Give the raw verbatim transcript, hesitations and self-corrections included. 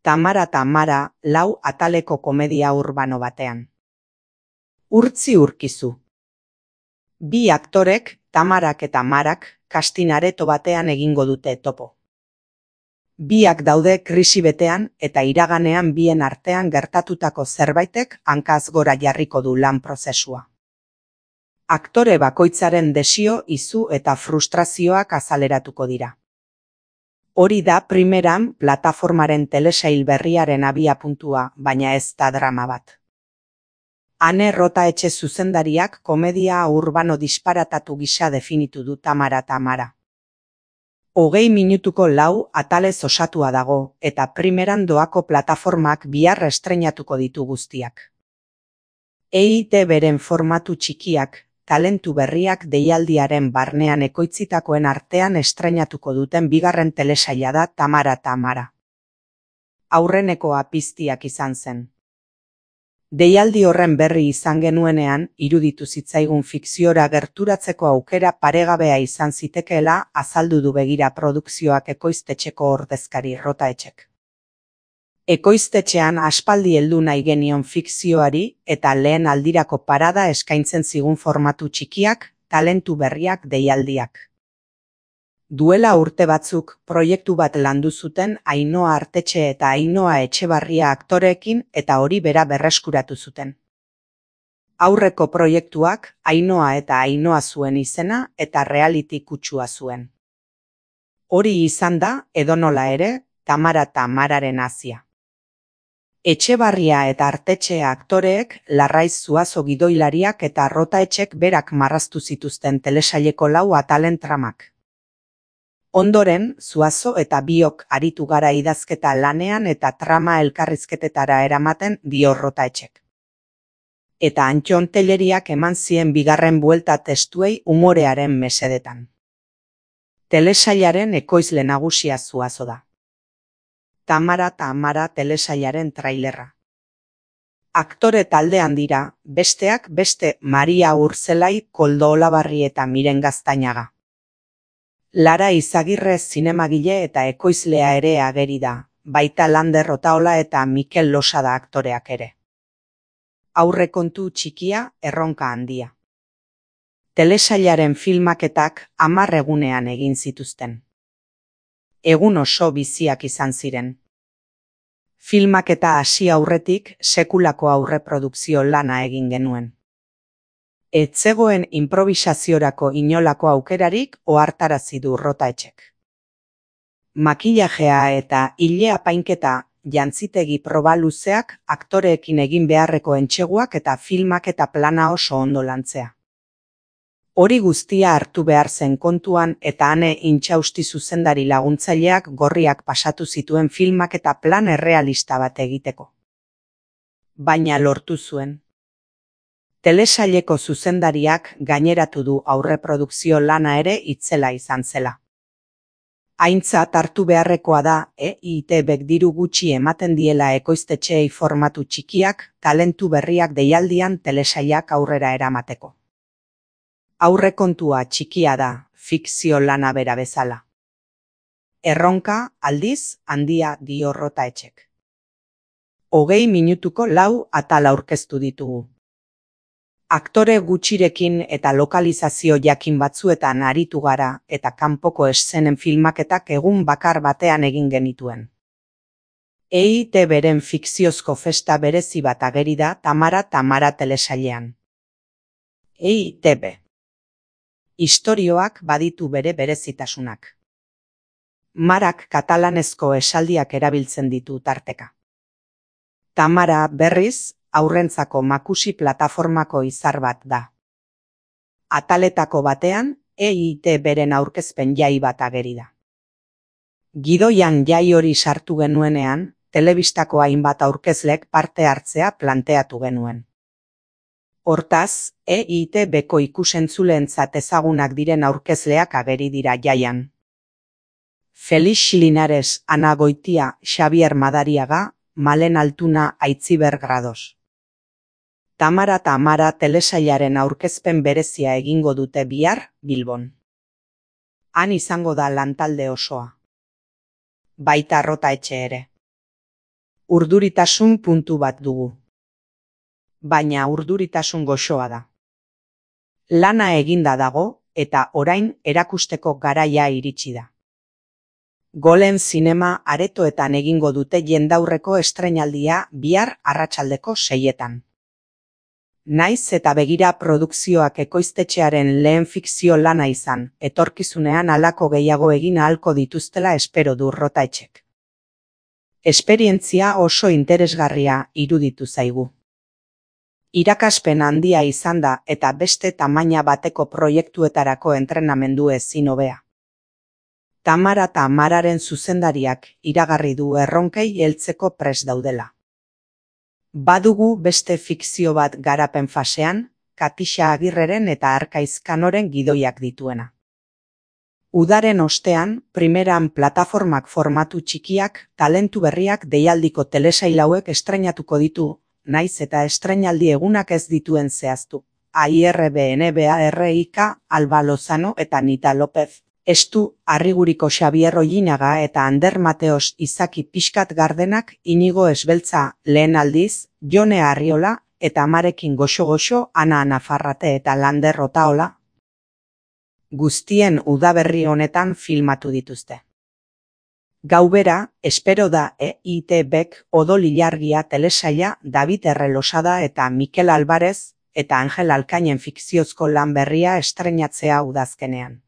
Tamara Tamara, lau ataleko komedia urbano batean. Urtzi urkizu. Bi aktorek, Tamarak eta Marak, casting areto batean egingo dute topo. Biak daude krisi betean eta iraganean bien artean gertatutako zerbaitek hankaz gora jarriko du lan prozesua. Aktore bakoitzaren desio, izu eta frustrazioak azaleratuko dira. Hori da primeran plataformaren telesail berriaren abiapuntua, baina ez da drama bat. Ane Rotaetxe zuzendariak komedia urbano disparatatu gisa definitu du Tamara Tamara. Hogei minutuko lau atalez osatua dago, eta primeran doako plataformak bihar estreinatuko ditu guztiak. E I Te Beren formatu txikiak, talentu berriak deialdiaren barnean ekoitzitakoen artean estreinatuko duten bigarren telesaila da Tamara Tamara. Aurrenekoa piztiak izan zen. Deialdi horren berri izan genuenean, iruditu zitzaigun fikziora gerturatzeko aukera paregabea izan zitekeela azaldu du begira produkzioak ekoiztetxeko ordezkari Rotaetxek. Ekoiztetxean aspaldi heldu nahi genion fikzioari eta lehen aldirako parada eskaintzen zigun formatu txikiak, talentu berriak deialdiak. Duela urte batzuk, proiektu bat landu zuten Ainhoa Artetxe eta Ainhoa Etxebarria aktoreekin eta hori bera berreskuratu zuten. Aurreko proiektuak Ainhoa eta Ainhoa zuen izena eta reality kutsua zuen. Hori izan da, edonola ere, Tamara Tamararen hazia. Etxebarria eta Artetxe aktoreek Larraiz Zuazo gidoilariak eta Rotaetxek berak marraztu zituzten telesaileko lau atalen tramak. Ondoren, Zuazo eta biok aritu gara idazketa lanean eta trama elkarrizketetara eramaten dio Rotaetxek. Eta Antxon Telleriak eman zien bigarren buelta testuei umorearen mesedetan. Telesailaren ekoizle nagusia Zuazo da. Tamara Tamara telesailaren trailerra. Aktore taldean dira, besteak beste Maria Urzelai, Koldo Olabarri eta Miren Gaztañaga. Lara Izagirre zinemagile eta ekoizlea ere ageri da, baita Lander Otaola eta Mikel Losada aktoreak ere. Aurrekontu txikia, erronka handia. Telesailaren filmaketak hamar egunean egin zituzten. Egun oso biziak izan ziren. Filmaketa hasi aurretik sekulako aurreprodukzio lana egin genuen. Ez zegoen improbisaziorako inolako aukerarik ohartarazi du Rotaetxek. Makillajea eta ile apainketa, jantzitegi proba luzeak, aktoreekin egin beharreko entseguak eta filmak eta plana oso ondo lantzea. Hori guztia hartu behar zen kontuan eta Ane Intxausti zuzendari laguntzaileak gorriak pasatu zituen filmak eta plan errealista bat egiteko. Baina lortu zuen. Telesaileko zuzendariak gaineratu du aurreprodukzio lana ere itzela izan zela. Aintzat hartu beharrekoa da E I Te Bek diru gutxi ematen diela ekoiztetxeei formatu txikiak, talentu berriak deialdian telesailak aurrera eramateko. Aurrekontua txikia da, fikzio lana bera bezala. Erronka, aldiz, handia dio Rotaetxek. Hogei minutuko lau atal aurkeztu ditugu. Aktore gutxirekin eta lokalizazio jakin batzuetan aritu gara eta kanpoko eszenen filmaketak egun bakar batean egin genituen. E I Te Beren fikziozko festa berezi bat ageri da Tamara Tamara telesailean. E I Te Be. Istorioak baditu bere berezitasunak. Marak katalanezko esaldiak erabiltzen ditu tarteka. Tamara, berriz, aurrentzako makusi plataformako izar bat da. Ataletako batean, E I Te Beren aurkezpen jai bat ageri da. Gidoian jai hori sartu genuenean, telebistako hainbat aurkezlek parte hartzea planteatu genuen. Hortaz, E I Te Beko ikusentzuleentzat ezagunak diren aurkezleak ageri dira jaian. Felix Linares, Ana Goitia, Xabier Madariaga, Malen Altuna, Aitziber Grados. Tamara Tamara telesailaren aurkezpen berezia egingo dute bihar, Bilbon. Han izango da lantalde osoa. Baita Rotaetxe ere. urduritasun puntu bat dugu. Baina urduritasun goxoa da. Lana eginda dago eta orain erakusteko garaia iritsi da. Golem zinema aretoetan egingo dute jendaurreko estreinaldia bihar arratsaldeko seietan. Naiz eta begira produkzioak ekoiztetxearen lehen fikzio lana izan, etorkizunean halako gehiago egin ahalko dituztela espero du Rotaetxek. Esperientzia oso interesgarria iruditu zaigu. Irakaspen handia izan da eta beste tamaina bateko proiektuetarako entrenamendu ezin hobea. Tamara eta Mararen zuzendariak iragarri du erronkei heltzeko prest daudela. Badugu beste fikzio bat garapen fasean, Katixa Agirreren eta Arkaiz Kanoren gidoiak dituena. Udaren ostean, primeran plataformak formatu txikiak, talentu berriak deialdiko telesail hauek estreinatuko ditu, naiz eta estreinaldi egunak ez dituen zehaztu. A I R B N B A R I K, Alba Lozano eta Nita López. Estu, Arriguriko Xabier Ollinaga eta Ander Mateos Izaki Pixkat Gardenak, Inigo Esbeltza lehen aldiz, Jone Arriola eta Amarekin goxo-goxo Ana Nafarrate eta Lander Otaola. Guztien udaberri honetan filmatu dituzte. Gaubera, espero da E I T Bek Odol Ilargia telesaila David Errelosada eta Mikel Alvarez eta Angel Alkainen fikziozko lan berria estreinatzea udazkenean.